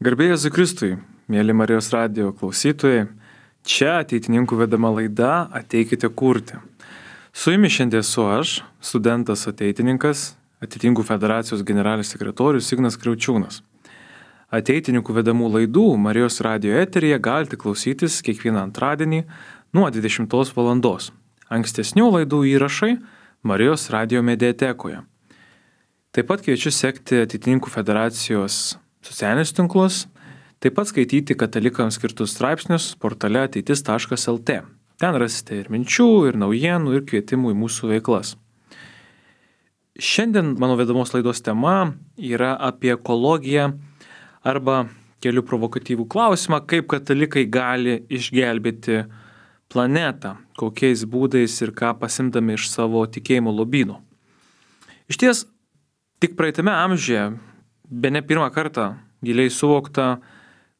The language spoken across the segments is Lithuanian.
Garbė Jėzui Kristui, mėly Marijos radijo klausytojai, čia ateitininkų vedama laida Ateikite kurti. Su jumis šiandien esu aš, studentas ateitininkas, Ateitininkų federacijos generalinis sekretorius Ignas Kriaučiūnas. Ateitininkų vedamų laidų Marijos radijo eteryje galite klausytis kiekvieną antradienį nuo 20 valandos. Ankstesnių laidų įrašai Marijos radijo mediatekoje. Taip pat kviečiu sekti Ateitininkų federacijos socialinius tinklus, taip pat skaityti katalikams skirtus straipsnius portale ateitis.lt. Ten rasite ir minčių, ir naujienų, ir kvietimų į mūsų veiklas. Šiandien mano vedamos laidos tema yra apie ekologiją arba keliu provokatyvų klausimą, kaip katalikai gali išgelbėti planetą, kokiais būdais ir ką pasimdami iš savo tikėjimo lobynų. Iš ties, tik praeitame amžiuje bene pirmą kartą giliai suvokta,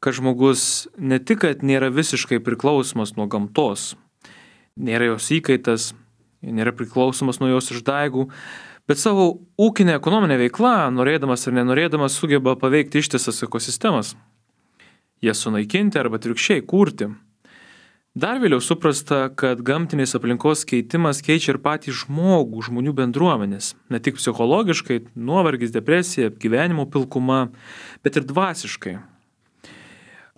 kad žmogus ne tik, kad nėra visiškai priklausomas nuo gamtos, nėra jos įkaitas, nėra priklausomas nuo jos išdaigų, bet savo ūkinę ekonominę veiklą, norėdamas ar nenorėdamas, sugeba paveikti ištisas ekosistemas, jas sunaikinti arba atvirkščiai kurti. Dar vėliau suprasta, kad gamtinės aplinkos keitimas keičia ir patį žmogų, žmonių bendruomenės. Ne tik psichologiškai, nuovargis, depresija, gyvenimo pilkuma, bet ir dvasiškai.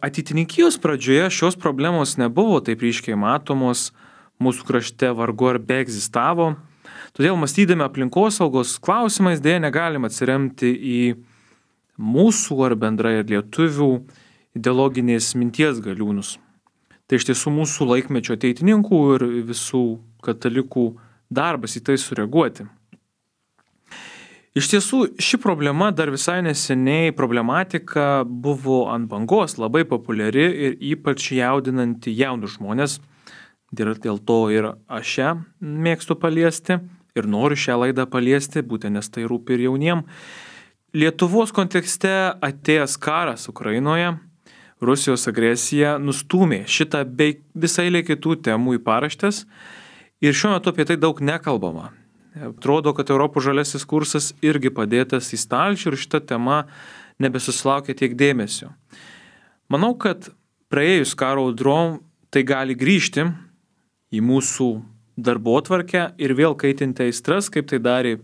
Ateitininkijos pradžioje šios problemos nebuvo taip ryškiai matomos, mūsų krašte vargu ar beegzistavo. Todėl mąstydami aplinkosaugos klausimais dėja negalim atsiremti į mūsų ar bendrai ir lietuvių ideologinės minties galiūnus. Tai iš tiesų mūsų laikmečio ateitininkų ir visų katalikų darbas į tai sureaguoti. Iš tiesų, ši problema dar visai neseniai problematika buvo ant bangos, labai populiari ir ypač jaudinanti jaunus žmonės. Dėl to ir aš ją mėgstu paliesti ir noriu šią laidą paliesti, būtent nes tai rūpi ir jauniem. Lietuvos kontekste atėjęs karas Ukrainoje, Rusijos agresija nustūmė šitą bei visai eilę kitų temų į paraštes ir šiuo metu apie tai daug nekalbama. Atrodo, kad Europos žaliasis kursas irgi padėtas į stalčių ir šita tema nebesusilaukia tiek dėmesio. Manau, kad praėjus karo audrom tai gali grįžti į mūsų darbotvarkę ir vėl kaitinti aistras, kaip tai darė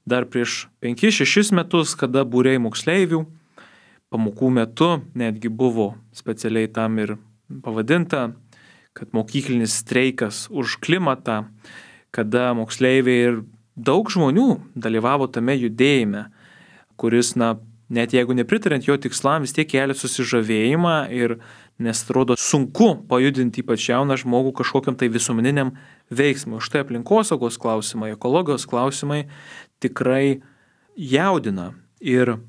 dar prieš 5-6 metus, kada būriai moksleivių pamokų metu netgi buvo specialiai tam ir pavadinta, kad mokyklinis streikas už klimatą, kada moksleiviai ir daug žmonių dalyvavo tame judėjime, kuris, net jeigu nepritarint jo tikslam, vis tiek kelia susižavėjimą ir nes atrodo sunku pajudinti ypač jauną žmogų kažkokiam tai visuomeniniam veiksmui. Štai aplinkosaugos klausimai, ekologijos klausimai tikrai jaudina ir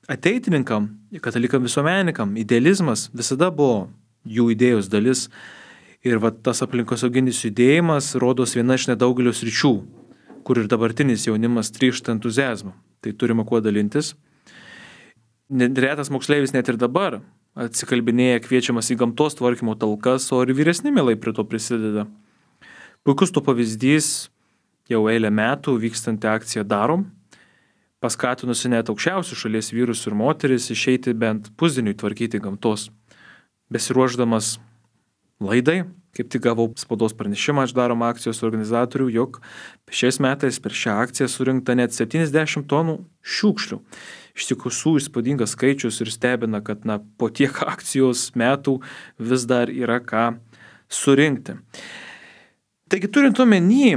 ateitininkam, katalikam visuomenininkam, idealizmas visada buvo jų idėjos dalis ir tas aplinkosauginis judėjimas rodos viena iš nedaugelio sričių, kur ir dabartinis jaunimas trykšta entuziazmą. Tai turime kuo dalintis. Retas moksleivis net ir dabar atsikalbinėja kviečiamas į gamtos tvarkymo talkas, o ir vyresni mielai prie to prisideda. Puikus to pavyzdys jau eilę metų vykstanti akcija Darom, paskatinusi net aukščiausių šalies vyrus ir moteris išeiti bent pusdieniui tvarkyti gamtos. Besiruošdamas laidai, kaip tik gavau spaudos pranešimą iš Darom akcijos organizatorių, jog šiais metais per šią akciją surinkta net 70 tonų šiukšlių. Iš tiesų įspūdingas skaičius ir stebina, kad po tiek akcijos metų vis dar yra ką surinkti. Taigi turint omeny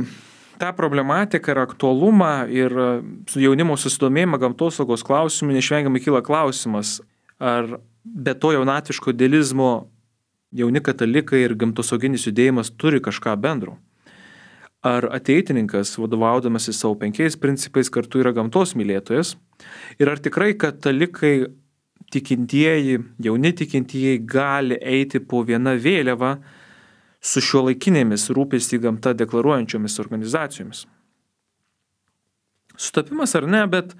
tą problematiką ir aktualumą ir jaunimo susidomėjimą gamtosaugos klausimų, neišvengiamai kyla klausimas, ar be to jaunatviško idealizmo jauni katalikai ir gamtosauginis judėjimas turi kažką bendro. Ar ateitininkas, vadovaudamas į savo 5 principais, kartu yra gamtos mylėtojas ir ar tikrai katalikai tikintieji, jauni tikintieji gali eiti po vieną vėliavą su šiuolaikinėmis rūpestį gamta deklaruojančiomis organizacijomis. Sutapimas ar ne, bet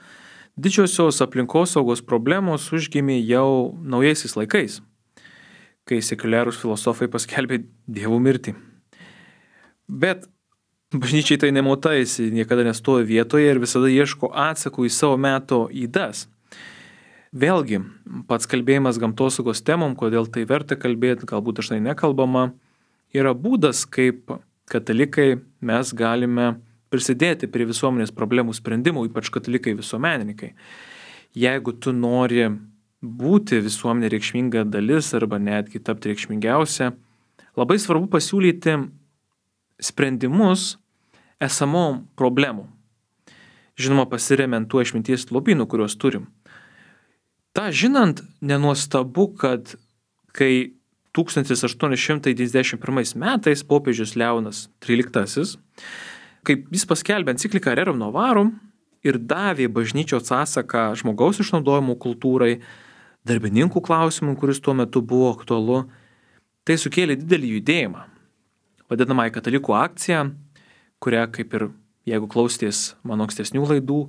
didžiosios aplinkosaugos problemos užgimė jau naujaisiais laikais, kai sekuliarūs filosofai paskelbė dievų mirtį. Bet bažnyčiai tai nemota, jis niekada nestovi vietoje ir visada ieško atsakų į savo meto ydas. Vėlgi, pats kalbėjimas gamtosaugos temom, kodėl tai verta kalbėti, galbūt dažnai nekalbama, yra būdas, kaip katalikai mes galime prisidėti prie visuomenės problemų sprendimų, ypač katalikai visuomenininkai. Jeigu tu nori būti visuomenė reikšminga dalis arba netgi tapti reikšmingiausia, labai svarbu pasiūlyti sprendimus esamom problemų. Žinoma, pasiremiant tuo išminties lobynų, kuriuos turim. Ta žinant, nenuostabu, kad kai 1891 metais popiežius Leonas XIII, kaip jis paskelbė encikliką Rerum Novarum ir davė bažnyčios atsaką žmogaus išnaudojimo kultūrai, darbininkų klausimų, kuris tuo metu buvo aktualu, tai sukėlė didelį judėjimą. Vadinamąją katalikų akciją, kurią, kaip ir jeigu klausties mano ankstesnių laidų,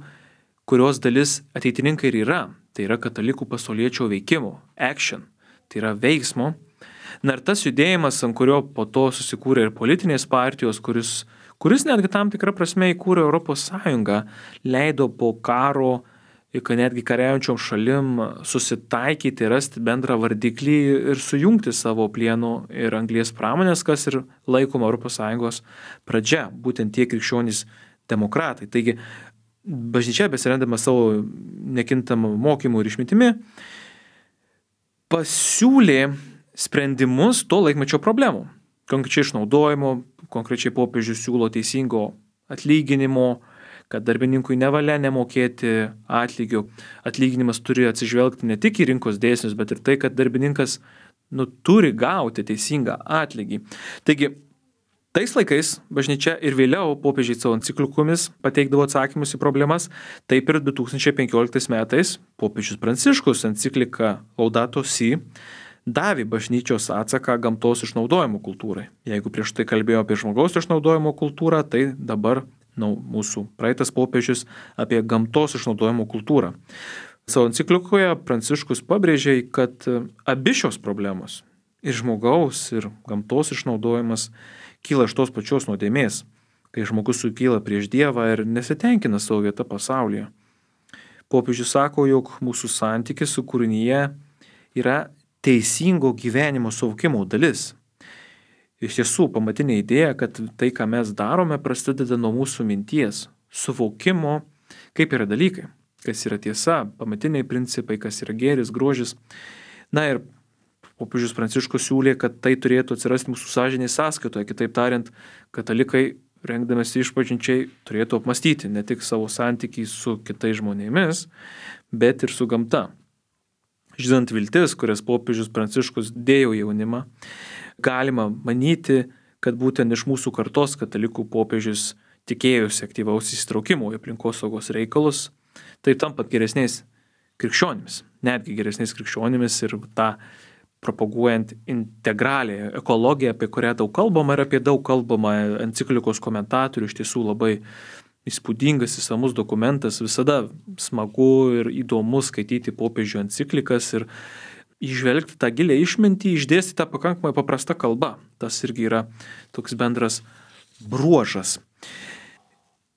kurios dalis ateitininkai ir yra, tai yra katalikų pasauliečio veikimo, action, tai yra veiksmo. Na ir tas judėjimas, ant kurio po to susikūrė ir politinės partijos, kuris netgi tam tikrą prasme įkūrė Europos Sąjungą, leido po karo, kad netgi kariaujančiom šalim susitaikyti, rasti bendrą vardiklį ir sujungti savo plieno ir anglies pramonės, kas ir laikoma Europos Sąjungos pradžia, būtent tie krikščionys demokratai. Taigi, bažnyčia besirendama savo nekintamą mokymų ir išmintimi, pasiūlė sprendimus to laikmečio problemų. Konkrečiai išnaudojimo, konkrečiai popiežius siūlo teisingo atlyginimo, kad darbininkui nevalia nemokėti atlygio. Atlyginimas turi atsižvelgti ne tik į rinkos dėsnius, bet ir tai, kad darbininkas turi gauti teisingą atlygį. Taigi, tais laikais bažnyčia ir vėliau popiežiai savo enciklikomis pateikdavo atsakymus į problemas, taip ir 2015 metais popiežius Pranciškus enciklika Laudato Si davė bažnyčios atsaką gamtos išnaudojimo kultūrai. Jeigu prieš tai kalbėjo apie žmogaus išnaudojimo kultūrą, tai dabar mūsų praeitas popiežius apie gamtos išnaudojimo kultūrą. Savo enciklikoje Pranciškus pabrėžė, kad abi šios problemos, ir žmogaus, ir gamtos išnaudojimas, kyla iš tos pačios nuodėmės, kai žmogus sukyla prieš Dievą ir nesitenkina savo vietą pasaulyje. Popiežius sako, jog mūsų santykis su kūrinyje yra teisingo gyvenimo suvokimo dalis. Iš tiesų, pamatinė idėja, kad tai, ką mes darome, prasideda nuo mūsų minties, suvokimo, kaip yra dalykai, kas yra tiesa, pamatiniai principai, kas yra gėris, grožis. Na ir popiežius Pranciškus siūlė, kad tai turėtų atsirasti mūsų sąžinės sąskaitoje. Kitaip tariant, katalikai, rengdamasi išpažinčiai, turėtų apmastyti ne tik savo santykį su kitais žmonėmis, bet ir su gamta. Žinant viltis, kurias popiežius Pranciškus dėjo jaunimą, galima manyti, kad būtent iš mūsų kartos katalikų popiežius tikėjosi aktyvaus įsitraukimo į aplinkosaugos reikalus, tai tampat geresniais krikščionimis, netgi geresniais krikščionimis ir tą propaguojant integralią ekologiją, apie kurią daug kalbama ir apie daug kalbama enciklikos komentatorių, iš tiesų labai įspūdingas, įsamus dokumentas, visada smagu ir įdomu skaityti popiežių enciklikas ir įžvelgti tą gilę išmintį, išdėstyti tą pakankamai paprastą kalbą. Tas irgi yra toks bendras bruožas.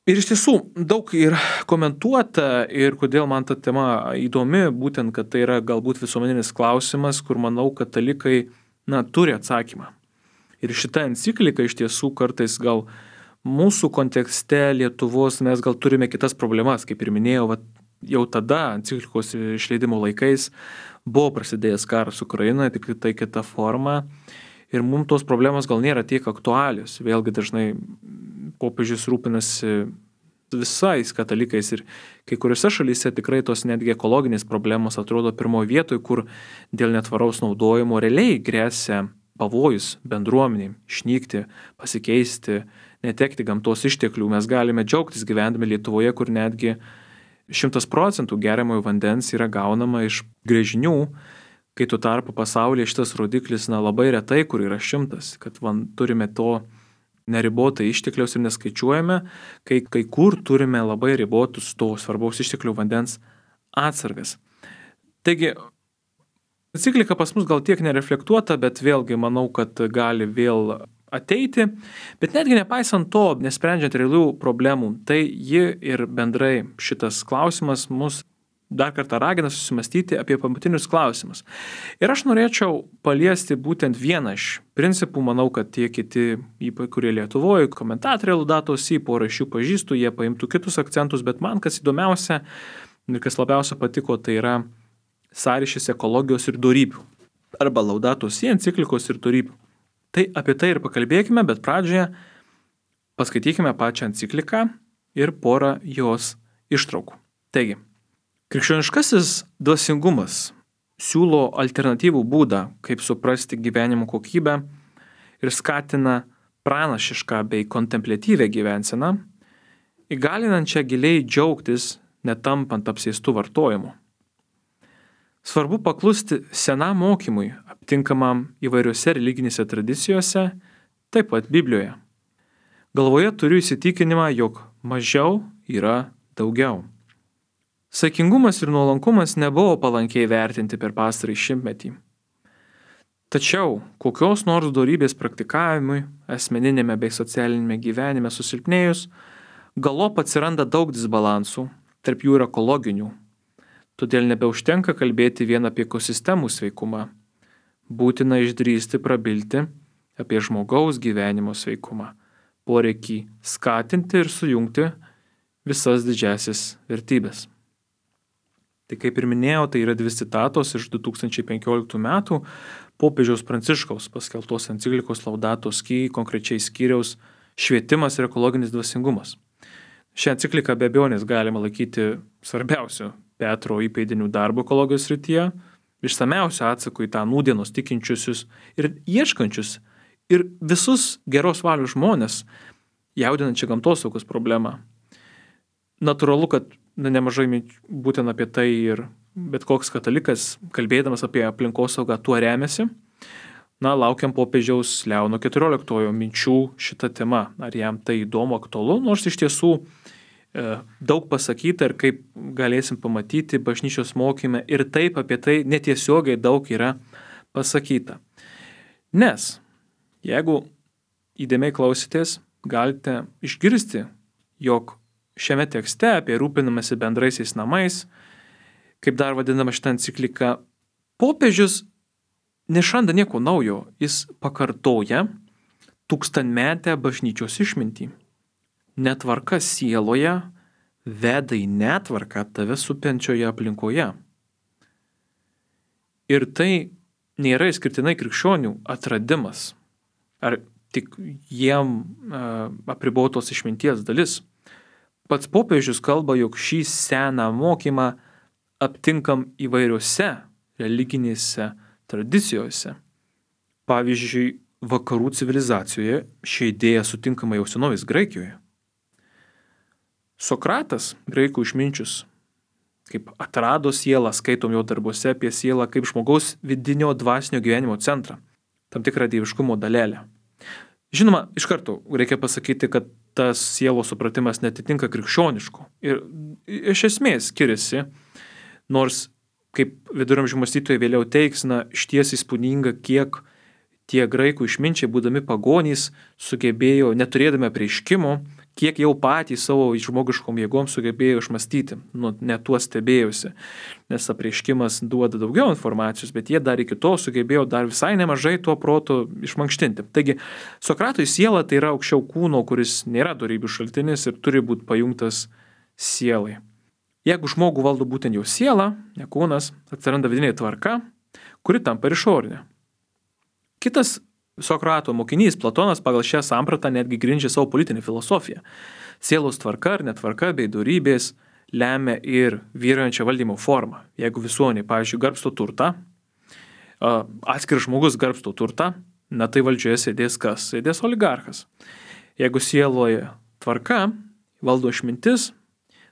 Ir iš tiesų daug ir komentuota ir kodėl man ta tema įdomi, būtent, kad tai yra galbūt visuomeninis klausimas, kur manau katalikai turi atsakymą. Ir šita enciklika iš tiesų kartais gal mūsų kontekste Lietuvos mes gal turime kitas problemas, kaip ir minėjau, jau tada enciklikos išleidimo laikais buvo prasidėjęs karas Ukrainoje, tik tai kita forma. Ir mums tos problemos gal nėra tiek aktualios. Vėlgi dažnai popiežius rūpinasi visais katalikais ir kai kuriuose šalyse tikrai tos netgi ekologinės problemos atrodo pirmoje vietoje, kur dėl netvaraus naudojimo realiai grėsia pavojus bendruomeniai, išnykti, pasikeisti, netekti gamtos išteklių. Mes galime džiaugtis gyvendami Lietuvoje, kur netgi 100% geriamojo vandens yra gaunama iš gręžinių, kai tuo tarpu pasaulyje šitas rodiklis labai retai, kur yra 100, kad turime to neribotai ištekliaus ir neskaičiuojame, kai kur turime labai ribotus to svarbaus išteklių vandens atsargas. Taigi, enciklika pas mus gal tiek nereflektuota, bet vėlgi manau, kad gali vėl ateiti, bet netgi nepaisant to, nesprendžiant realių problemų, tai ji ir bendrai šitas klausimas mus dar kartą ragina susimastyti apie pamatinius klausimus. Ir aš norėčiau paliesti būtent vieną iš principų, manau, kad tie kiti, kurie Lietuvoje, komentatoriai Laudato Si, porą iš jų pažįstu, jie paimtų kitus akcentus, bet man kas įdomiausia ir kas labiausia patiko, tai yra sąryšis ekologijos ir dorybių. Arba Laudato Si enciklikos ir dorybių. Tai apie tai ir pakalbėkime, bet pradžioje paskaitykime pačią encikliką ir porą jos ištraukų. Taigi, krikščioniškasis dvasingumas siūlo alternatyvų būdą, kaip suprasti gyvenimo kokybę ir skatina pranašišką bei kontempliatyvę gyvenseną, įgalinančią giliai džiaugtis, netampant apsėstų vartojimu. Svarbu paklusti senam mokymui, aptinkamam įvairiose religinėse tradicijose, taip pat Biblijoje. Galvoje turiu įsitikinimą, jog mažiau yra daugiau. Saikingumas ir nuolankumas nebuvo palankiai vertinti per pastarąjį šimtmetį. Tačiau kokios nors dorybės praktikavimui, asmeninėme bei socialinėme gyvenime susilpnėjus, galop atsiranda daug disbalansų, tarp jų ir ekologinių. Todėl nebeužtenka kalbėti vien apie ekosistemų sveikumą. Būtina išdrįsti prabilti apie žmogaus gyvenimo sveikumą, poreikį skatinti ir sujungti visas didžiasis vertybės. Tai kaip ir minėjau, tai yra 2 citatos iš 2015 metų popiežiaus Pranciškaus paskelbtos enciklikos Laudato Si, konkrečiai skyriaus Švietimas ir ekologinis dvasingumas. Šią encikliką be abejonės galima laikyti svarbiausiu Petro įpėdinių darbo ekologijos srityje, išsamiausiu atsaku į tą nūdienos tikinčiusius ir ieškančius ir visus geros valios žmonės, jaudinančią gamtosaugos problemą. Natūralu, kad nemažai būtent apie tai ir bet koks katalikas, kalbėdamas apie aplinkosaugą, tuo remiasi. Laukiam popiežiaus Leono XIV minčių šitą temą, ar jam tai įdomu, aktualu, nors iš tiesų daug pasakyta ir kaip galėsim pamatyti bažnyčios mokyme ir taip apie tai netiesiogiai daug yra pasakyta. Nes jeigu įdėmiai klausitės, galite išgirsti, jog šiame tekste apie rūpinamasi bendraisiais namais, kaip dar vadinama šitą encikliką, popiežius nešranda nieko naujo, jis pakartoja tūkstantmetę bažnyčios išmintį. Netvarka sieloje veda į netvarką tave supančioje aplinkoje. Ir tai nėra išskirtinai krikščionių atradimas, ar tik jiem apribotos išminties dalis. Pats popiežius kalba, jog šį seną mokymą aptinkam įvairiose religinėse tradicijose. Pavyzdžiui, vakarų civilizacijoje ši idėja sutinkama jau senovės Graikijoje. Sokratas, graikų išminčius, kaip atrado sielą, skaitom jo darbuose apie sielą kaip žmogaus vidinio dvasinio gyvenimo centrą, tam tikrą dieviškumo dalelę. Žinoma, iš karto reikia pasakyti, kad tas sielos supratimas netitinka krikščioniško ir iš esmės skiriasi, nors kaip viduramžių mąstytojai vėliau teiks, išties įspūdinga, kiek tie graikų išminčiai, būdami pagonys, sugebėjo, neturėdami apreiškimo, kiek jau patys savo žmogiškom jėgom sugebėjo išmastyti, net tuo stebėjusi, nes apreiškimas duoda daugiau informacijos, bet jie dar iki to sugebėjo dar visai nemažai tuo protu išmankštinti. Taigi, Sokratui siela tai yra aukščiau kūno, kuris nėra dorybių šaltinis ir turi būti pajungtas sielai. Jeigu žmogų valdo būtent jau siela, ne kūnas, atsiranda vidinė tvarka, kuri tampa ir išorinė. Kitas Sokrato mokinys Platonas pagal šią sampratą netgi grindžia savo politinę filosofiją. Sielos tvarka ar netvarka bei dorybės lemia ir vyraujančią valdymo formą. Jeigu visuomenė, pavyzdžiui, garbsto turtą, atskiras žmogus garbsto turtą, tai valdžioje sėdės kas? Sėdės oligarchas. Jeigu sieloje tvarka, valdo išmintis,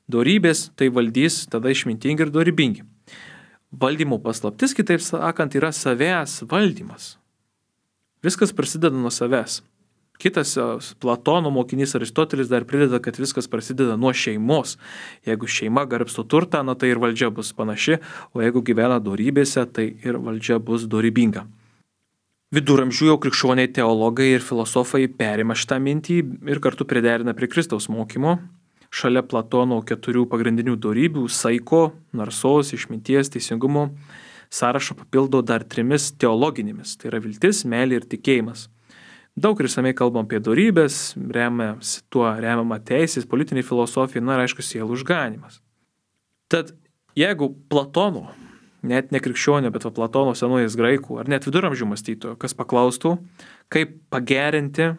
dorybės, tai valdys tada išmintingi ir dorybingi. Valdymo paslaptis, kitaip sakant, yra savęs valdymas. Viskas prasideda nuo savęs. Kitas Platono mokinys Aristotelis dar prideda, kad viskas prasideda nuo šeimos. Jeigu šeima garbsto turtą, tai ir valdžia bus panaši, o jeigu gyvena dorybėse, tai ir valdžia bus dorybinga. Viduramžių jau krikščioniai teologai ir filosofai perima šitą mintį ir kartu priderina prie Kristaus mokymo, šalia Platono 4 pagrindinių dorybių - saiko, narsos, išminties, teisingumo - sąrašą papildo dar 3 teologinėmis. Tai yra viltis, meilė ir tikėjimas. Daug ir išsamei kalbam apie dorybės, tuo remiama teisės, politinė filosofija, ir aišku, sielų išganymas. Tad jeigu Platono, net ne krikščionio, bet Platono senojais graikų, ar net viduramžių mąstytojo, kas paklaustų, kaip pagerinti,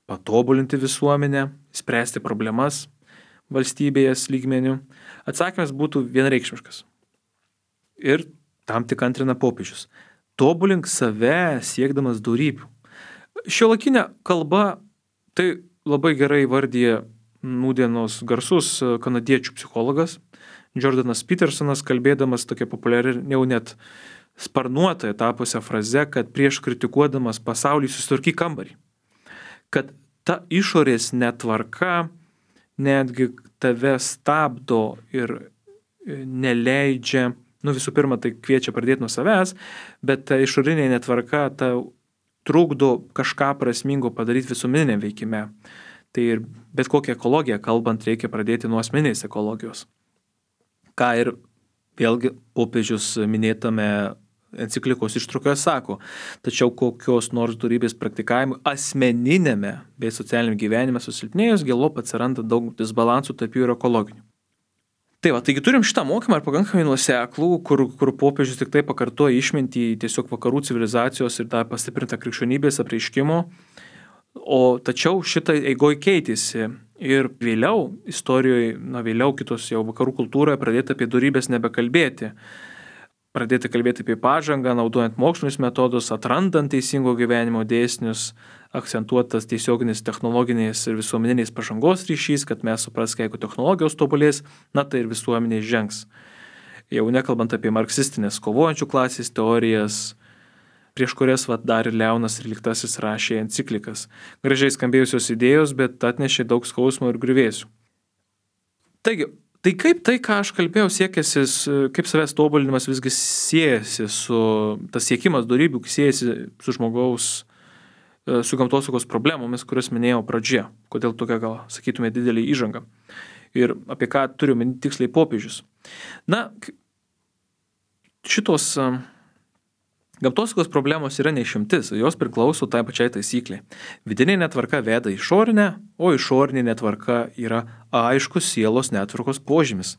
patobulinti visuomenę, spręsti problemas valstybėje lygmenių, atsakymas būtų vienareikšmiškas. Ir tam tik antrina popiežius. Tobulink save siekdamas dorybių. Šiuolaikinė kalba tai labai gerai įvardyja nūdienos garsus kanadiečių psichologas Jordanas Petersonas, kalbėdamas tokia populiari, jau net sparnuotoje tapusią frazę, kad prieš kritikuodamas pasaulį susitvarkyk kambarį. Kad ta išorės netvarka netgi tave stabdo ir neleidžia, visų pirma, tai kviečia pradėti nuo savęs, bet ta išorinė netvarka tau trukdo kažką prasmingo padaryti visuomeniniam veikime. Tai ir bet kokią ekologiją kalbant reikia pradėti nuo asmeninės ekologijos. Ką ir vėlgi popiežius minėtame enciklikos ištraukoje sako, tačiau kokios nors dorybės praktikavimui asmeninėme bei socialiniame gyvenime susilpnėjus galop atsiranda daug disbalansų tarp jų ir ekologinių. Taigi turim šitą mokymą ir pakankamai nuoseklų, kur popiežius tik tai pakartoja išmintį tiesiog vakarų civilizacijos ir tą pastiprintą krikščionybės apreiškimo, tačiau šitą eigoj keitėsi ir vėliau istorijoje, vėliau kitos jau vakarų kultūroje pradėta apie dorybės nebekalbėti. Pradėti kalbėti apie pažangą, naudojant mokslinius metodus, atrandant teisingo gyvenimo dėsnius, akcentuotas tiesioginis technologinės ir visuomeniniais pažangos ryšys, kad mes supraskime, jeigu technologijos tobulės, tai ir visuomenė žengs. Jau nekalbant apie marksistinės kovojančių klasės teorijas, prieš kurias dar ir Leonas XIII rašė enciklikas. Gražiai skambėjusios idėjos, bet atnešė daug skausmo ir griuvėsių. Taigi, tai kaip tai, ką aš kalbėjau, siekėsi, kaip savęs tobulinimas visgi siejasi tas siekimas dorybių siejasi su žmogaus, su gamtosaugos problemomis, kurias minėjau pradžioje. Kodėl tokia, gal sakytume, didelį įžangą. Ir apie ką turiu minėti tiksliai popiežius. Šitos gamtosaugos problemos yra neišimtis, jos priklauso tai pačiai taisyklė. Vidinė netvarka veda išorinę, o išorinė netvarka yra aiškus sielos netvarkos požymis.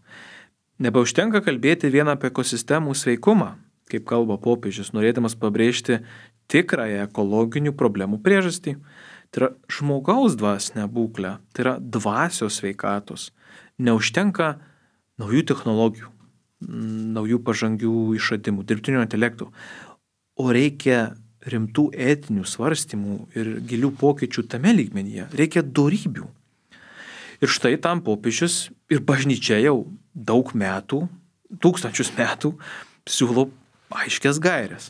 Nebeužtenka kalbėti vien apie ekosistemų sveikumą, kaip kalba popiežius, norėdamas pabrėžti tikrąją ekologinių problemų priežastį. Tai yra žmogaus dvasinė būklė, tai yra dvasios sveikatos. Neužtenka naujų technologijų, naujų pažangių išradimų, dirbtinio intelektų. O reikia rimtų etinių svarstymų ir gilių pokyčių tame lygmenyje. Reikia dorybių. Ir štai tam popiežius ir bažnyčia jau daug metų, tūkstančius metų siūlo aiškias gairias.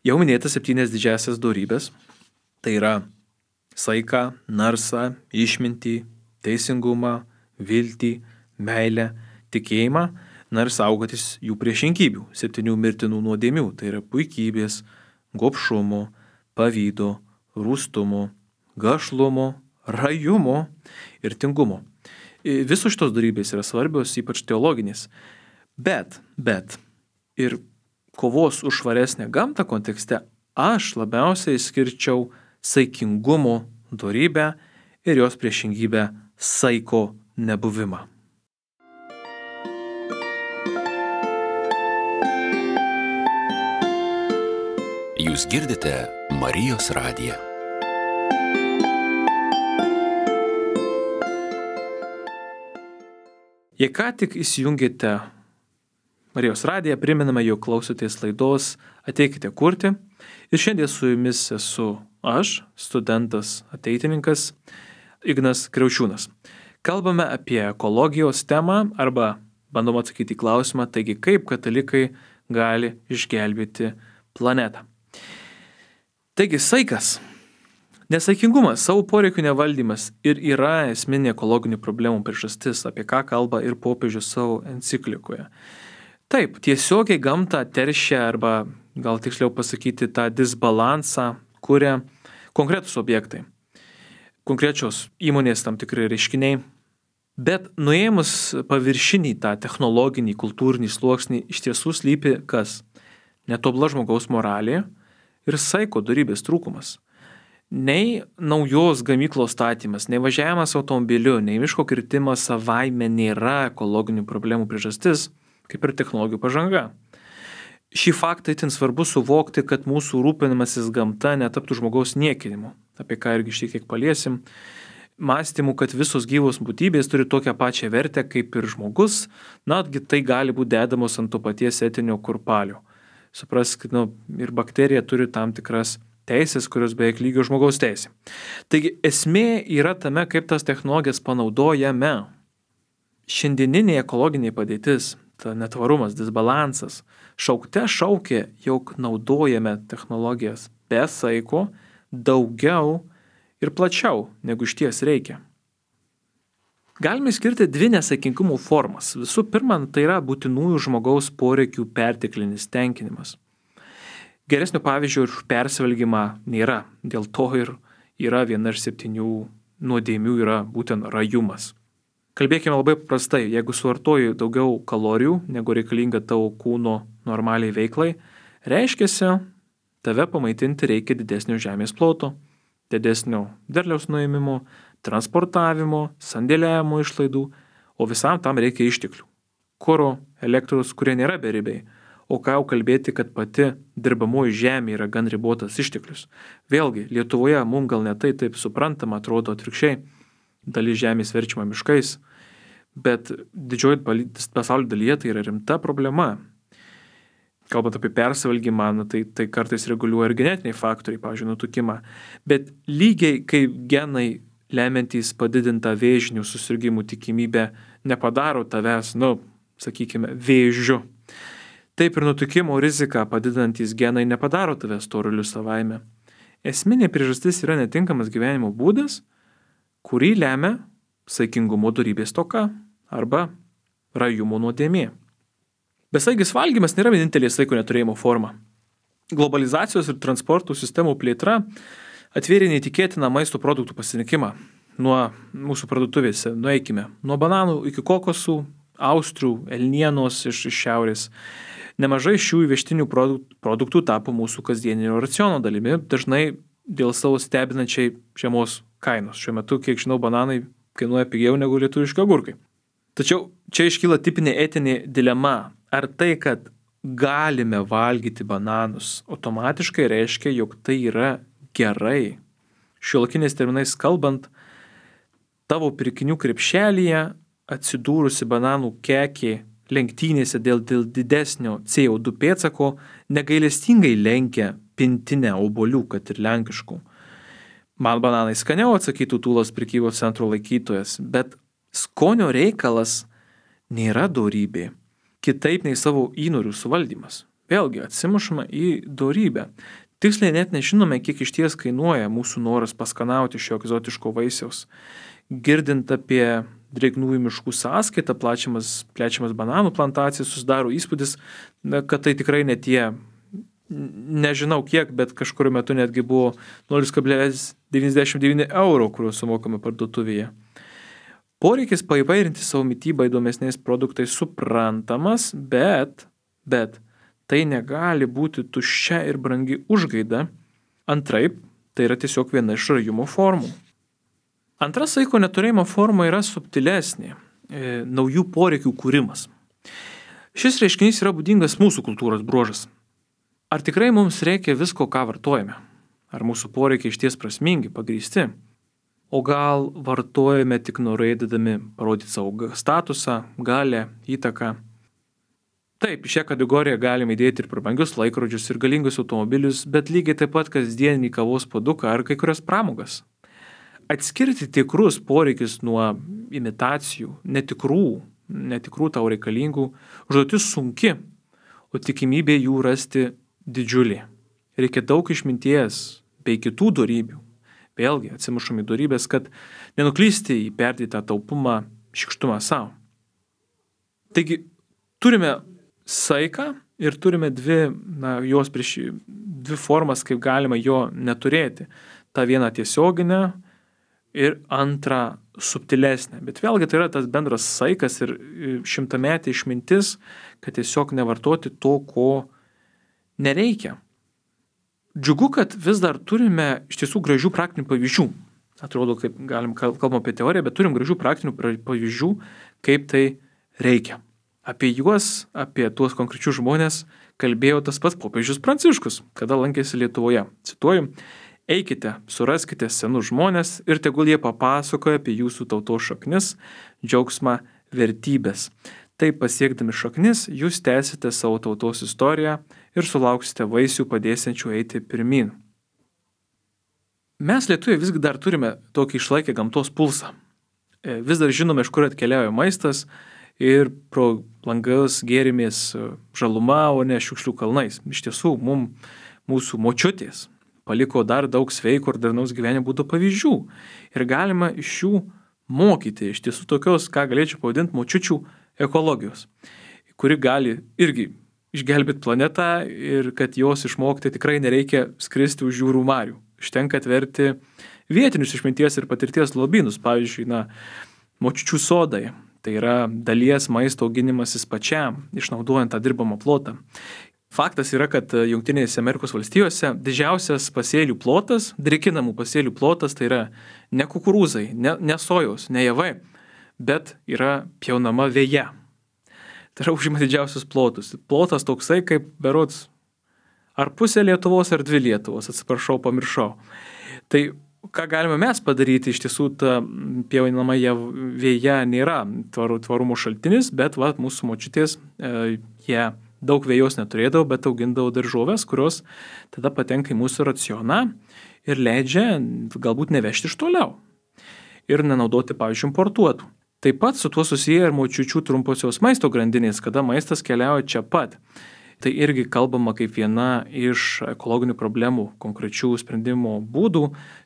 Jau minėtas 7 didžiasias dorybės, tai yra saiką, narsą, išmintį, teisingumą, viltį, meilę, tikėjimą, ir saugotis jų priešingybių, 7 mirtinų nuodėmių, tai yra puikybės, gobšumo, pavydo, rūstumo, gašlumo, rajumo ir tingumo. Visos šitos dorybės yra svarbios, ypač teologinės. Bet ir kovos už švaresnę gamtą kontekste aš labiausiai skirčiau saikingumo dorybę ir jos priešingybę saiko nebuvimą. Jūs girdite Marijos radiją. Jei ką tik įsijungėte Marijos radiją, priminame, jog klausotės laidos Ateikite kurti. Ir šiandien su jumis esu aš, studentas ateitininkas Ignas Kriaučiūnas. Kalbame apie ekologijos temą arba bandom atsakyti į klausimą, taigi kaip katalikai gali išgelbėti planetą. Taigi saikas, nesaikingumas, savo poreikių nevaldymas ir yra esminė ekologinių problemų priežastis, apie ką kalba ir popiežius savo enciklikoje. Taip, tiesiogiai gamtą teršia arba gal tiksliau pasakyti tą disbalansą kuria konkretus objektai, konkrečios įmonės tam tikri reiškiniai, Bet nuėmus paviršinį tą technologinį, kultūrinį sluoksnį iš tiesų slypi kas? Netobula žmogaus moralė ir saiko dorybės trūkumas. Nei naujos gamyklos statymas, nei važiavimas automobiliu, nei miško kirtimas savaime nėra ekologinių problemų priežastis, kaip ir technologijų pažanga. Šį faktą itin svarbu suvokti, kad mūsų rūpinimasis gamta netaptų žmogaus niekinimu, apie ką irgi šiek tiek paliesim, mąstymu, kad visos gyvos būtybės turi tokią pačią vertę kaip ir žmogus, netgi tai gali būti dedamos ant to paties etinio kurpalio. Supraskit, ir bakterija turi tam tikras teisės, kurios beveik lygio žmogaus teisė. Taigi esmė yra tame, kaip tas technologijas panaudojame. Šiandieninė ekologinė padėtis, ta netvarumas, disbalansas, šaukte šaukia, jog naudojame technologijas be saiko daugiau ir plačiau, negu iš ties reikia. Galime skirti dvi nesaikingumo formas. Visų pirma, tai yra būtinųjų žmogaus poreikių perteklinis tenkinimas. Geresnio pavyzdžio ir persivalgymą nėra. Dėl to ir yra viena iš 7 nuodėmių yra būtent rajumas. Kalbėkime labai paprastai. Jeigu suvartoji daugiau kalorijų, negu reikalinga tavo kūno normaliai veiklai, reiškiasi, tave pamaitinti reikia didesnio žemės ploto, didesnio derliaus nuėmimo, transportavimo, sandėliavimo išlaidų, o visam tam reikia išteklių. Kuro, elektros, kurie nėra beribiai. O ką jau kalbėti, kad pati dirbamoji žemė yra gan ribotas išteklius. Vėlgi, Lietuvoje mums gal ne tai taip suprantama, atrodo atvirkščiai, dalis žemės verčiama miškais, bet didžioji pasaulio dalyje tai yra rimta problema. Kalbant apie persivalgymą, tai kartais reguliuoja ir genetiniai faktoriai, pavyzdžiui, nutukimą. Bet lygiai kaip genai lemiantys padidintą vėžinių susirgimų tikimybę nepadaro tavęs, sakykime, vėžiu. Taip ir nutukimo riziką padidinantys genai nepadaro tavęs storuliu savaime. Esminė priežastis yra netinkamas gyvenimo būdas, kurį lemia saikingumo dorybės stoka arba rajumo nuodėmė. Besaigis valgymas nėra vienintelė saiko neturėjimo forma. Globalizacijos ir transportų sistemų plėtra atvėrė neįtikėtiną maisto produktų pasirinkimą. Nuo mūsų parduotuvėse, nueikime, nuo bananų iki kokosų, austrių, elnienos iš šiaurės. Nemažai šių įvežtinių produktų tapo mūsų kasdieninio raciono dalimi, dažnai dėl savo stebinančiai žemos kainos. Šiuo metu, kiek žinau, bananai kainuoja pigiau negu lietuviški agurkai. Tačiau čia iškyla tipinė etinė dilema. Ar tai, kad galime valgyti bananus, automatiškai reiškia, jog tai yra gerai? Šiuolaikiniais terminais kalbant, tavo pirkinių krepšelyje atsidūrusi bananų kekė lenktynėse dėl didesnio CO2 pėdsako negailestingai lenkia pintinę obuolių, kad ir lenkiškų. Man bananai skaniau, atsakytų tūlos prekybos centro laikytojas, bet skonio reikalas nėra dorybė. Kitaip nei savo įnorių suvaldymas. Vėlgi atsimušama į dorybę. Tiksliai net nežinome, kiek iš ties kainuoja mūsų noras paskanauti šio egzotiško vaisiaus. Girdint apie drėgnųjų miškų sąskaitą, plečiamas bananų plantacijas, susidaro įspūdis, kad tai tikrai ne tie, nežinau kiek, bet kažkuriuo metu netgi buvo 0,99 €, kuriuos sumokame parduotuvėje. Poreikis paįvairinti savo mitybą įdomesniais produktais suprantamas, bet tai negali būti tuščia ir brangi užgaida. Antraip, tai yra tiesiog viena iš rajumo formų. Antra saiko neturėjimo forma yra subtilesnė – naujų poreikių kūrimas. Šis reiškinys yra būdingas mūsų kultūros bruožas. Ar tikrai mums reikia visko, ką vartojame? Ar mūsų poreikiai išties prasmingi, pagrįsti? O gal vartojame tik norėdami parodyti savo statusą, galę, įtaką? Taip, šią kategoriją galime įdėti ir prabangius laikrodžius ir galingus automobilius, bet lygiai taip pat kasdienį kavos puoduką ar kai kurias pramogas. Atskirti tikrus poreikius nuo imitacijų, netikrų tau reikalingų, užduotis sunki, o tikimybė jų rasti didžiulė. Reikia daug išminties bei kitų dorybių. Vėlgi atsimušam į dorybės, kad nenuklysti į perdėtą taupumą, šykštumą savo. Taigi, turime saiką ir turime dvi formas, kaip galima jo neturėti. Ta viena tiesioginė ir antra subtilesnė. Bet vėlgi tai yra tas bendras saikas ir šimtametė išmintis, kad tiesiog nevartoti to, ko nereikia. Džiugu, kad vis dar turime iš tiesų gražių praktinių pavyzdžių. Atrodo, kaip kalbam apie teoriją, bet turim gražių praktinių pavyzdžių, kaip tai reikia. Apie juos, apie tuos konkrečius žmonės kalbėjo tas pats popiežius Pranciškus, kada lankėsi Lietuvoje. Cituoju, eikite, suraskite senus žmonės ir tegul jie papasakoja apie jūsų tautos šaknis, džiaugsmą, vertybės. Taip pasiekdami šaknis, jūs tęsite savo tautos istoriją ir sulauksite vaisių padėsiančių eiti pirmin. Mes lietuviai visgi dar turime tokį išlaikę gamtos pulsą. Vis dar žinome, iš kur atkeliauja maistas ir pro langas gėrimės žaluma, o ne šiukšlių kalnais. Iš tiesų, mūsų močiutės paliko dar daug sveiko ir darnaus gyvenimo būdų pavyzdžių. Ir galima iš jų mokyti, iš tiesų tokios, ką galėčiau pavadinti, močiučių ekologijos, kuri gali irgi išgelbėti planetą ir kad jos išmokti tikrai nereikia skristi už jūrų marių. Užtenka atverti vietinius išminties ir patirties lobynus, pavyzdžiui, močiučių sodai. Tai yra dalies maisto auginimasis pačiam, išnaudojant tą dirbamą plotą. Faktas yra, kad Jungtinėse Amerikos valstijose didžiausias pasėlių plotas, drėkinamų pasėlių plotas, tai yra ne kukurūzai, ne sojos, ne javai, bet yra pjaunama veja. Tai yra užima didžiausius plotus. Plotas toksai kaip berods ar pusė Lietuvos, ar 2 Lietuvos, atsiprašau, pamiršau. Tai ką galime mes padaryti, iš tiesų ta pjaunama veja nėra tvarumo šaltinis, bet mūsų močiutės, jie daug vejos neturėdavo, bet augindavo daržoves, kurios tada patenka į mūsų racioną ir leidžia galbūt nevežti iš toliau ir nenaudoti, pavyzdžiui, importuotų. Taip pat su tuo susiję ir močiučių trumposios maisto grandinės, kada maistas keliauja čia pat. Tai irgi kalbama kaip viena iš ekologinių problemų konkrečių sprendimo būdų,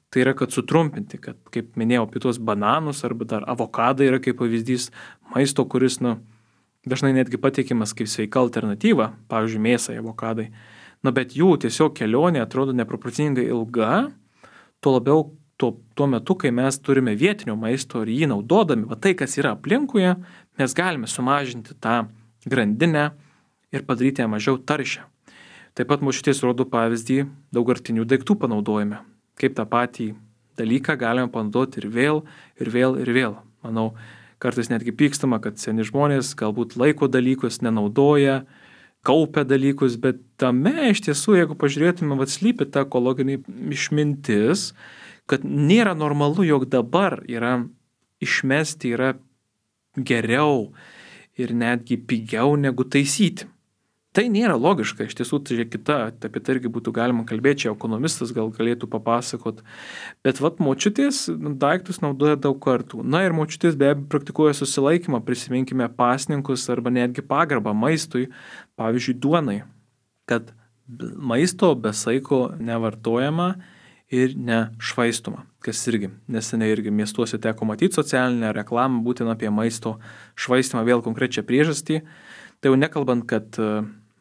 tai yra, kad sutrumpinti, kad, kaip minėjau, apie tuos bananus arba dar avokadą yra kaip pavyzdys maisto, kuris dažnai netgi pateikiamas kaip sveika alternatyva, pavyzdžiui, mėsai, avokadai. Bet jų tiesiog kelionė atrodo neproporcingai ilga, tuo labiau tuo metu, kai mes turime vietinio maisto ir jį naudodami, tai, kas yra aplinkuje, mes galime sumažinti tą grandinę ir padaryti ją mažiau taršią. Taip pat močiutės rodo pavyzdį daugkartinių daiktų panaudojime. Kaip tą patį dalyką galime panaudoti ir vėl, ir vėl, ir vėl. Manau, kartais netgi pykstama, kad seni žmonės galbūt laiko dalykus nenaudoja, kaupia dalykus, bet tame iš tiesų, jeigu pažiūrėtume, slypi ta ekologinė išmintis, kad nėra normalu, jog dabar išmesti yra geriau ir netgi pigiau negu taisyti. Tai nėra logiška, iš tiesų tai kita, apie tai irgi būtų galima kalbėti, čia ekonomistas gal galėtų papasakot, bet močiutės daiktus naudoja daug kartų. Ir močiutės be abejo praktikuoja susilaikymą, prisiminkime pasninkus arba netgi pagarbą maistui, pavyzdžiui, duonai, kad maisto be saiko nevartojama ir nešvaistoma, kas irgi, neseniai irgi miestuose teko matyti socialinę reklamą būtent apie maisto švaistimą, vėl konkrečią priežastį. Tai jau nekalbant, kad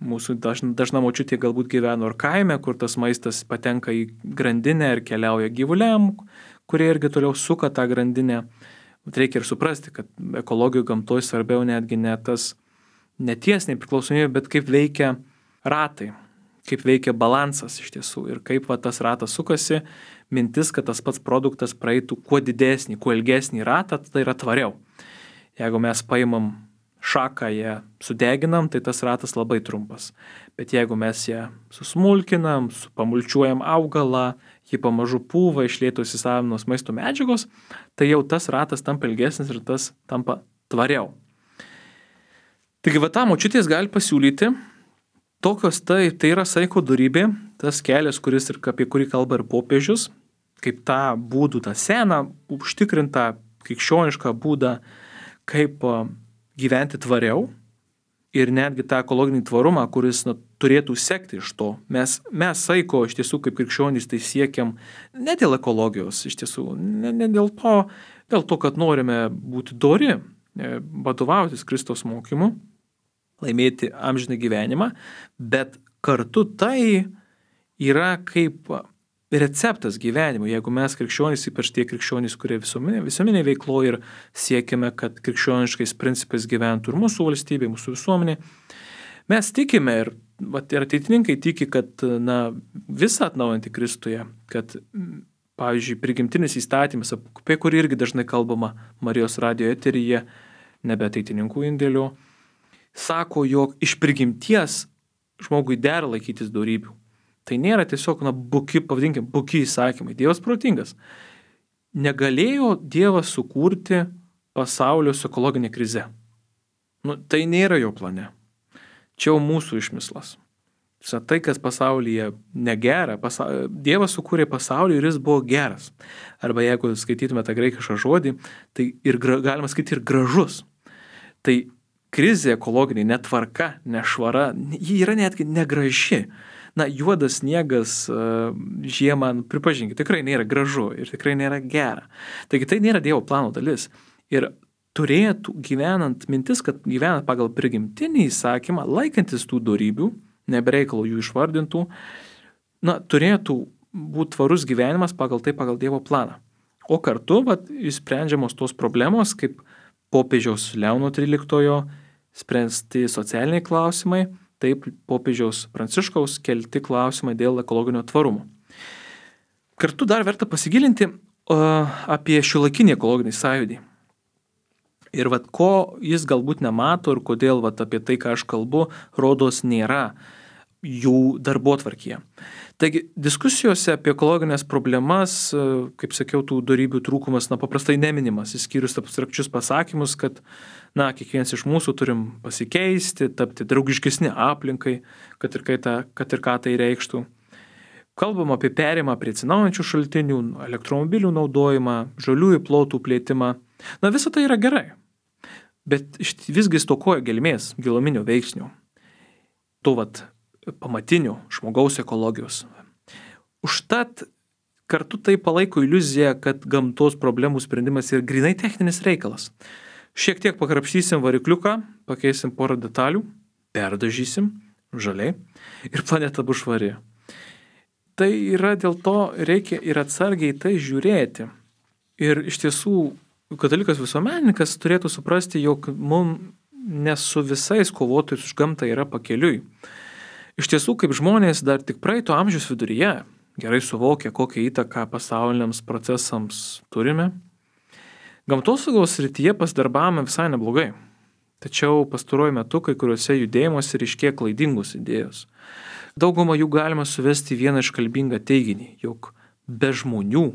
mūsų dažna močiutė galbūt gyveno ir kaime, kur tas maistas patenka į grandinę ir keliauja gyvuliam, kurie irgi toliau suka tą grandinę. Bet reikia ir suprasti, kad ekologijų gamtoje svarbiau netgi ne ties nepriklausomybė, bet kaip veikia ratai, kaip veikia balansas iš tiesų ir kaip tas ratas sukasi, mintis, kad tas pats produktas praeitų kuo didesnį, kuo ilgesnį ratą, tai yra tvariau. Jeigu mes paimam šaką, ją sudeginam, tai tas ratas labai trumpas. Bet jeigu mes ją susmulkinam, pamulčiuojam augalą, jį pamažu pūva, iš lėto įsisavinos maisto medžiagos, tai jau tas ratas tampa ilgesnis ir tas tampa tvariau. Taigi tą močiutės gali pasiūlyti, tokios tai yra saiko dorybė, tas kelias, apie kurį kalba ir popiežius, kaip tą būdų, tą seną, užtikrintą krikščionišką būdą, kaip gyventi tvariau ir netgi tą ekologinį tvarumą, kuris turėtų sekti iš to. Mes saiko iš tiesų kaip krikščionys tai siekiam ne dėl ekologijos, iš tiesų, ne dėl to, kad norime būti dori, vadovautis Kristaus mokymu, laimėti amžiną gyvenimą, bet kartu tai yra kaip receptas gyvenimo. Jeigu mes krikščionys, ypač tie krikščionys, kurie visuomenė veiklo ir siekime, kad krikščioniškais principais gyventų ir mūsų valstybė, mūsų visuomenė, mes tikime ir ateitininkai tiki, kad visą atnaujantį Kristuje, kad, pavyzdžiui, prigimtinis įstatymas, apie kurį irgi dažnai kalbama Marijos radijo eteryje, nebe ateitininkų indėliu, sako, jog iš prigimties žmogui dera laikytis dorybių. Tai nėra tiesiog, buki įsakymai. Dievas protingas. Negalėjo Dievas sukurti pasaulio su ekologinė krize. Tai nėra jo plane. Čia jau mūsų išmislas. Tai, kas pasaulyje negera, Dievas sukūrė pasaulį ir jis buvo geras. Arba jeigu skaitytume tą graikišką žodį, tai ir galima skaityti ir gražus. Tai krizė ekologinė, netvarka, nešvara, ji yra netgi negraži. Juodas sniegas žiemą, pripažinkite, tikrai nėra gražu ir tikrai nėra gera. Taigi tai nėra Dievo plano dalis. Ir turėtų gyvenant mintis, kad gyvenant pagal prigimtinį įsakymą, laikantis tų dorybių, nebereikalo jų išvardintų, turėtų būti tvarus gyvenimas pagal Dievo planą. O kartu išsprendžiamos tos problemos, kaip popiežiaus Leono XIII spręsti socialiniai klausimai, taip popiežiaus Pranciškaus kelti klausimai dėl ekologinio tvarumo. Kartu dar verta pasigilinti apie šiuolaikinį ekologinį sąjūdį. Ir ko jis galbūt nemato ir kodėl apie tai, ką aš kalbu, rodos nėra jų darbotvarkyje. Taigi, diskusijose apie ekologinės problemas, kaip sakiau, tų dorybių trūkumas paprastai neminimas, išskyrus abstrakčius pasakymus, kad kiekvienas iš mūsų turim pasikeisti, tapti draugiškesni aplinkai, kad ir ką tai reikštų. Kalbam apie perėjimą prie atsinaujinančių šaltinių, elektromobilių naudojimą, žaliųjų plotų plėtimą. Visa tai yra gerai, bet visgi stokoja gelmės, giluminio veiksnio. Pamatinių žmogaus ekologijos. Užtat kartu tai palaiko iliuziją, kad gamtos problemų sprendimas yra grinai techninis reikalas. Šiek tiek pakrapštysim varikliuką, pakeisim porą detalių, perdažysim žaliai ir planeta bus švari. Tai yra dėl to reikia ir atsargiai tai žiūrėti. Ir iš tiesų katalikas visuomenininkas turėtų suprasti, jog mums ne su visais kovotojais už gamtą yra pakeliui. Iš tiesų, kaip žmonės dar tik praeito amžiaus viduryje gerai suvokia, kokią įtaką pasauliniams procesams turime, gamtosaugos srityje pasidarbavome visai neblogai. Tačiau pastaruoju metu kai kuriuose judėjimuose ryškėja klaidingos idėjos. Daugumą jų galima suvesti vieną iškalbingą teiginį, jog be žmonių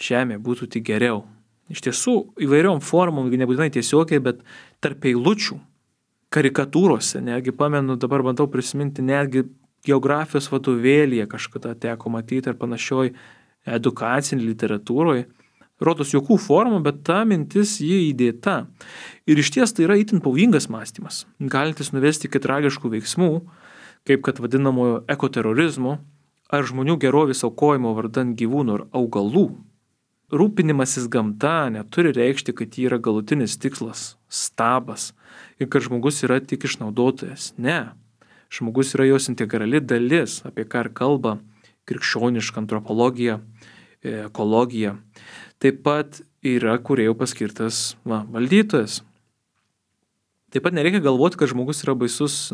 žemė būtų tik geriau. Iš tiesų, įvairiom formom, nebūtinai tiesiogiai, bet tarp eilučių, karikatūrose, netgi pamenu, dabar bandau prisiminti, netgi geografijos vadovėlyje kažkada teko matyti ar panašioj edukacinį literatūroje. Rodos jokių formų, bet ta mintis jį įdėta. Ir iš ties tai yra itin pavojingas mąstymas, galintis nuvesti iki tragiškų veiksmų, kaip kad vadinamojo ekoterorizmo ar žmonių gerovės aukojimo vardan gyvūnų ir augalų. Rūpinimasis gamta neturi reikšti, kad ji yra galutinis tikslas, stabas ir kad žmogus yra tik išnaudotojas. Ne, žmogus yra jos integrali dalis, apie ką ir kalba krikščioniška antropologija, ekologija. Taip pat yra kūrėjų paskirtas valdytojas. Taip pat nereikia galvoti, kad žmogus yra baisus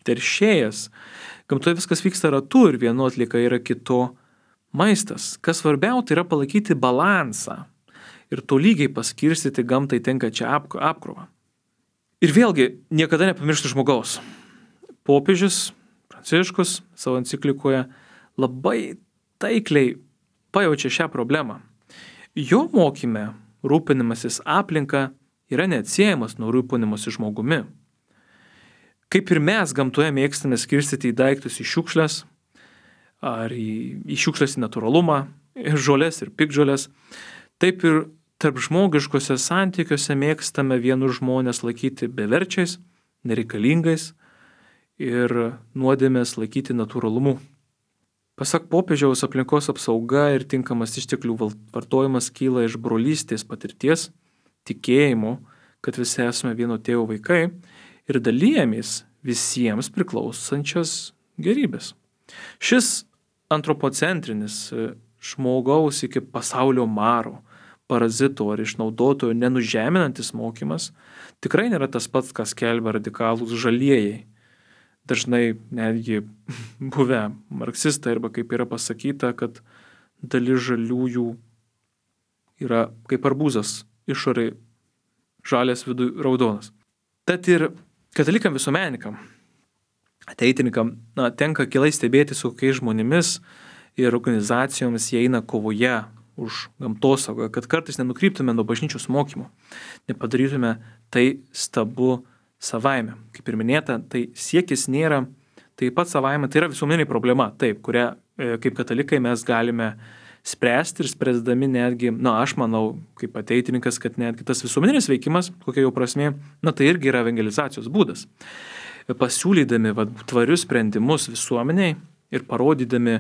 teršėjas. Gamtoje viskas vyksta ratu ir vieno atlieka yra kito maistas. Kas svarbiau, tai yra palaikyti balansą ir tolygiai paskirstyti gamtai tenkančią apkrovą. Ir vėlgi, niekada nepamiršti žmogaus. Popiežius Pranciškus savo enciklikoje labai taikliai pajaučia šią problemą. Jo mokyme rūpinimasis aplinka yra neatsiejamas nuo rūpinimasis žmogumi. Kaip ir mes gamtoje mėgstame skirstyti į daiktus į šiukšles, ar į šiukšles į natūralumą, žolės ir piktžolės, taip ir tarp žmogiškose santykiuose mėgstame vienus žmonės laikyti beverčiais, nereikalingais ir nuodėmės laikyti natūralumu. Pasak popiežiaus, aplinkos apsauga ir tinkamas išteklių vartojimas kyla iš brolystės patirties, tikėjimo, kad visi esame vieno tėvo vaikai ir dalyjamės visiems priklausančias gerybės. Šis antropocentrinis žmogaus iki pasaulio maro, parazito ar išnaudotojo nenužeminantis mokymas tikrai nėra tas pats, kas skelbia radikalūs žalieji. Dažnai netgi buvę marksistai, arba kaip yra pasakyta, kad dalis žaliųjų yra kaip arbūzas, išorėj žalias, viduj raudonas. Tad ir katalikam visuomenininkam, ateitininkam, tenka akylai stebėti, su kokiais žmonėmis ir organizacijomis jie eina kovoje už gamtosaugą, kad kartais nenukryptume nuo bažnyčios mokymo, nepadarytume tai stabu savaime. Kaip ir minėta, tai siekis nėra taip pat savaime, tai yra visuomeninė problema, taip, kurią kaip katalikai mes galime spręsti ir spręsdami netgi, aš manau, kaip ateitininkas, kad netgi tas visuomeninis veikimas, kokia jau prasmė, tai irgi yra evangelizacijos būdas. Pasiūlydami tvarius sprendimus visuomeniai ir parodydami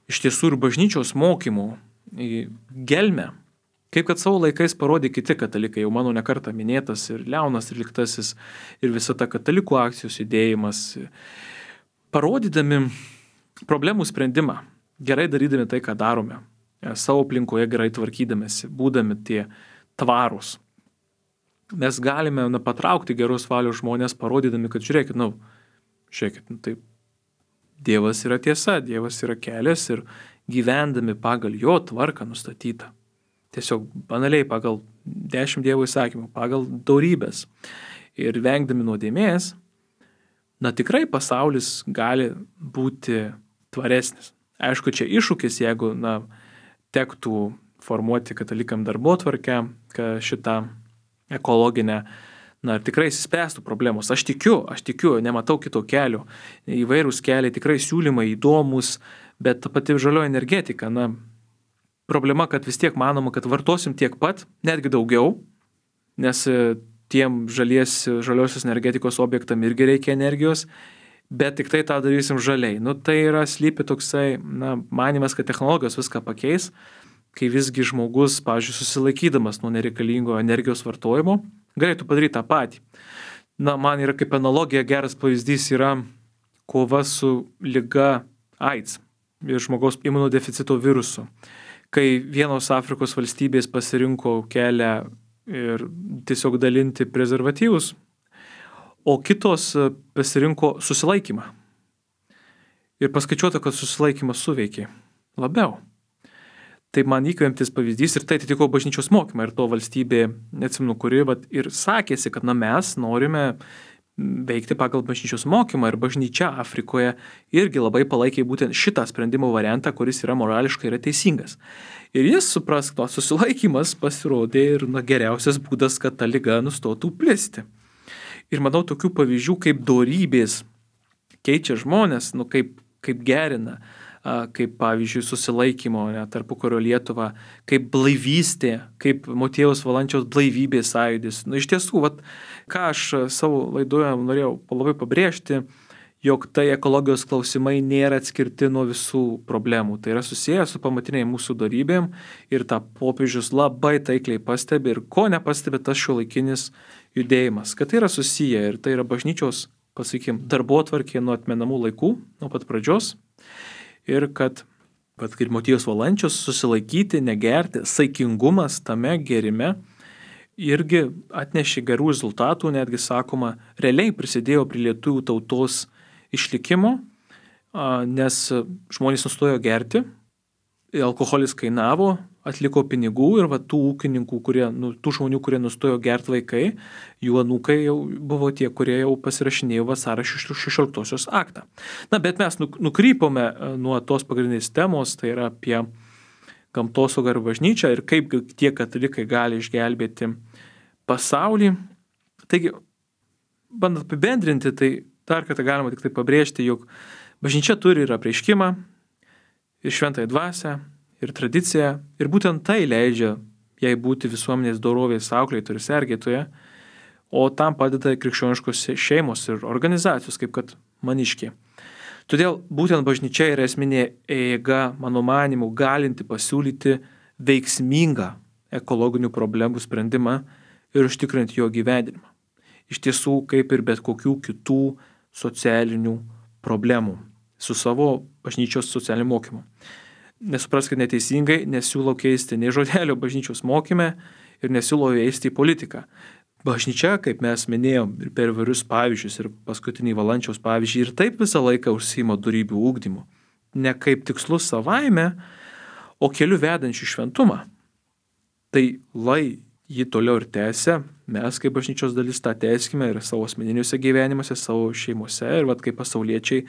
iš tiesų ir bažnyčios mokymų gelmę, kaip kad savo laikais parodė kiti katalikai, jau mano nekartą minėtas ir Leonas XIII ir visa ta katalikų akcijos judėjimas, parodydami problemų sprendimą, gerai darydami tai, ką darome, savo aplinkoje gerai tvarkydamėsi, būdami tie tvarūs. Mes galime patraukti geros valios žmonės, parodydami, kad žiūrėkit, tai Dievas yra tiesa, Dievas yra kelias ir gyvendami pagal jo tvarką nustatytą. Tiesiog banaliai pagal 10 Dievo įsakymų, pagal dorybės ir vengdami nuodėmės, tikrai pasaulis gali būti tvaresnis. Aišku, čia iššūkis, jeigu tektų formuoti katalikam darbotvarkę, kad šitą ekologinę, tikrai įsispręstų problemos. Aš tikiu, nematau kito kelio. Įvairūs keliai, tikrai siūlymai įdomus, bet ta pati žalioji energetika, problema, kad vis tiek manoma, kad vartosim tiek pat, netgi daugiau, nes tiem žaliosios energetikos objektam irgi reikia energijos, bet tik tai tą darysim žaliai. Tai yra slypi toksai, manimas, kad technologijos viską pakeis, kai visgi žmogus, pavyzdžiui, susilaikydamas nuo nereikalingo energijos vartojimo, galėtų padaryti tą patį. Man yra kaip analogija geras pavyzdys yra kova su liga AIDS ir žmogaus imunodeficito virusu. Kai vienos Afrikos valstybės pasirinko kelią ir tiesiog dalinti prezervatyvus, o kitos pasirinko susilaikymą. Ir paskaičiuota, kad susilaikymas suveikė labiau. Tai man įkvėptis pavyzdys ir tai atitiko bažnyčios mokymą. Ir to valstybė, neatsimenu kuri, ir sakėsi, kad mes norime veikti pagal bažnyčios mokymą. Ir bažnyčia Afrikoje irgi labai palaikė būtent šitą sprendimo variantą, kuris yra morališkai yra teisingas. Ir jis supras, kad susilaikymas pasirodė ir geriausias būdas, kad ta liga nustotų plisti. Ir manau, tokių pavyzdžių kaip dorybės keičia žmonės, kaip gerina, kaip pavyzdžiui susilaikymo tarpukario Lietuva, kaip blaivystė, kaip Motiejaus Valančiaus blaivybės sąjūdis. Iš tiesų, ką aš savo laidoje norėjau labai pabrėžti, jog tai ekologijos klausimai nėra atskirti nuo visų problemų. Tai yra susiję su pamatiniai mūsų dorybėm ir tą popiežius labai taikliai pastebi ir ko nepastebi tas šiuolaikinis judėjimas, kad tai yra susiję ir tai yra bažnyčios, darbotvarkė nuo atmenamų laikų, nuo pat pradžios. Ir kad kaip Motiejaus Valančius susilaikyti, negerti, saikingumas tame gerime irgi atnešė gerų rezultatų, netgi sakoma, realiai prisidėjo prie lietuvių tautos išlikimo, nes žmonės nustojo gerti, alkoholis kainavo, atliko pinigų ir tų ūkininkų, tų žmonių, kurie nustojo gerti vaikai, jų anūkai jau buvo tie, kurie jau pasirašinėjo Vasario 16 aktą. Bet mes nukrypome nuo tos pagrindinės temos, tai yra apie gamtosaugą ir bažnyčią ir kaip tie katalikai gali išgelbėti pasaulį. Taigi, bandant apibendrinti, tai dar kartą galima tik tai pabrėžti, jog bažnyčia turi ir apreiškimą, ir šventąją dvasią, ir tradiciją, ir būtent tai leidžia jai būti visuomenės dorovės auklėtoja ir sergėtoja, o tam padeda krikščioniškos šeimos ir organizacijos, kaip kad Maniškė. Todėl būtent bažnyčia yra esminė jėga, mano manymu, galinti pasiūlyti veiksmingą ekologinių problemų sprendimą ir užtikrinti jo gyvenimą. Iš tiesų, kaip ir bet kokių kitų socialinių problemų. Su savo bažnyčios socialiniu mokymu. Nesupraskite neteisingai, nesiūlau keisti nei žodelio bažnyčios mokyme ir nesiūlau įeisti į politiką. Bažnyčia, kaip mes minėjom ir per įvairius pavyzdžius ir paskutinį Valančiaus pavyzdžiui, ir taip visą laiką užsiima dorybių ugdymu. Ne kaip tikslus savaime, o keliu vedančių šventumą. Tai lai jį toliau ir tęsia, mes kaip bažnyčios dalis tą tęskime ir savo asmeniniuose gyvenimuose, savo šeimose ir kaip pasauliečiai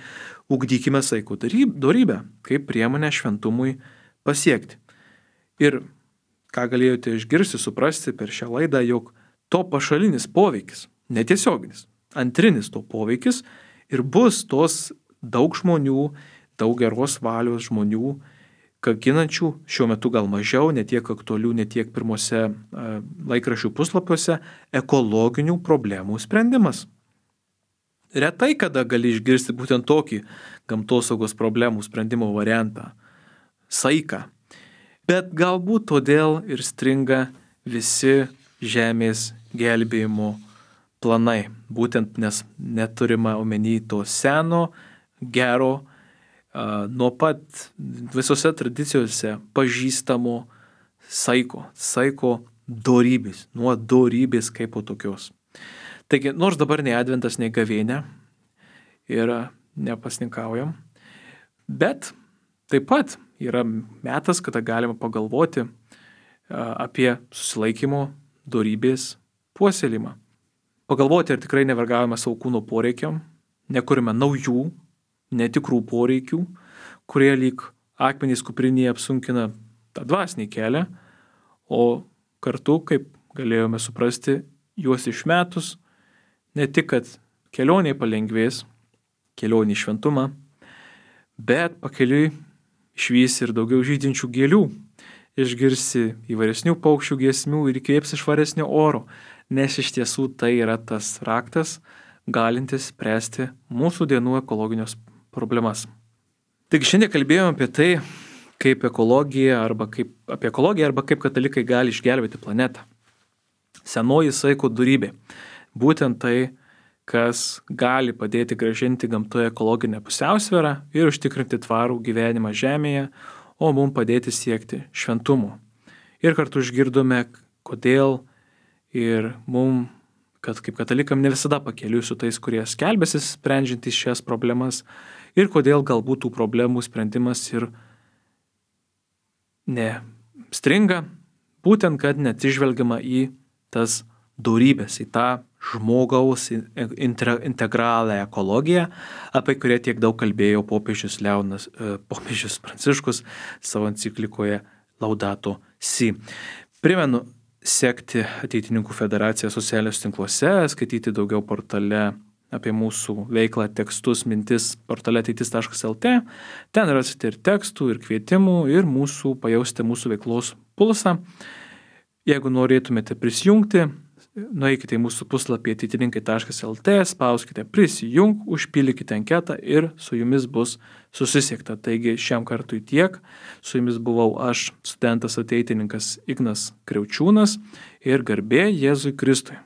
ugdykime saikų dorybę, kaip priemonę šventumui pasiekti. Ir ką galėjote išgirsti, suprasti per šią laidą, jog to pašalinis poveikis, netiesioginis, antrinis to poveikis ir bus tos daug žmonių, daug geros valios žmonių, kankinančių, šiuo metu gal mažiau, netiek aktualių, netiek pirmose laikraščių puslapiuose, ekologinių problemų sprendimas. Retai kada gali išgirsti būtent tokį gamtosaugos problemų sprendimo variantą – saiką. Bet galbūt todėl ir stringa visi žemės gelbėjimo planai. Būtent nes neturima omeny to seno, gero, nuo pat visose tradicijose pažįstamo saiko dorybės, nuo dorybės kaip po tokios. Taigi, nors dabar nei adventas, nei gavėnia ir nepasninkaujam, bet taip pat yra metas, kada galima pagalvoti apie susilaikymo dorybės puoselėjimą. Pagalvoti, ar tikrai nevergavome savo kūno poreikiam, nekurime naujų, netikrų poreikių, kurie lyg akmenys kuprinėje apsunkina tą dvasinį kelią, o kartu, kaip galėjome suprasti, juos išmetus, ne tik, kad kelionė palengvės, kelionė į šventumą, bet pakeliui išvysi ir daugiau žydinčių gėlių, išgirsi įvairesnių paukščių giesmių ir įkvėpsi švaresnio oro, nes iš tiesų tai yra tas raktas, galintis spręsti mūsų dienų ekologinius problemas. Taigi šiandien kalbėjome apie tai, kaip apie ekologiją arba kaip katalikai gali išgelbėti planetą. Senoji saiko dorybė. Būtent tai, kas gali padėti grąžinti gamtoje ekologinę pusiausvyrą ir užtikrinti tvarų gyvenimą žemėje, o mums padėti siekti šventumo. Ir kartu išgirdome, kodėl ir mums, kad kaip katalikam ne visada pakeliui su tais, kurie skelbėsi sprendžiantys šias problemas ir kodėl galbūt tų problemų sprendimas ir nestringa, būtent kad neatsižvelgiama į tas dorybės, į tą žmogaus integralią ekologiją, apie kurią tiek daug kalbėjo popiežius Pranciškus savo enciklikoje Laudato Si. Primenu sekti Ateitininkų federaciją socialiniuose tinkluose, skaityti daugiau portale apie mūsų veiklą, tekstus, mintis portale ateitis.lt. Ten rasite ir tekstų, ir kvietimų, ir pajausite mūsų veiklos pulsą. Jeigu norėtumėte prisijungti, nueikite į mūsų puslapį ateitininkai.lt, spauskite prisijung, užpildykite anketą ir su jumis bus susisiekta. Taigi šiam kartui tiek. Su jumis buvau aš, studentas ateitininkas Ignas Kriaučiūnas ir garbė Jėzui Kristui.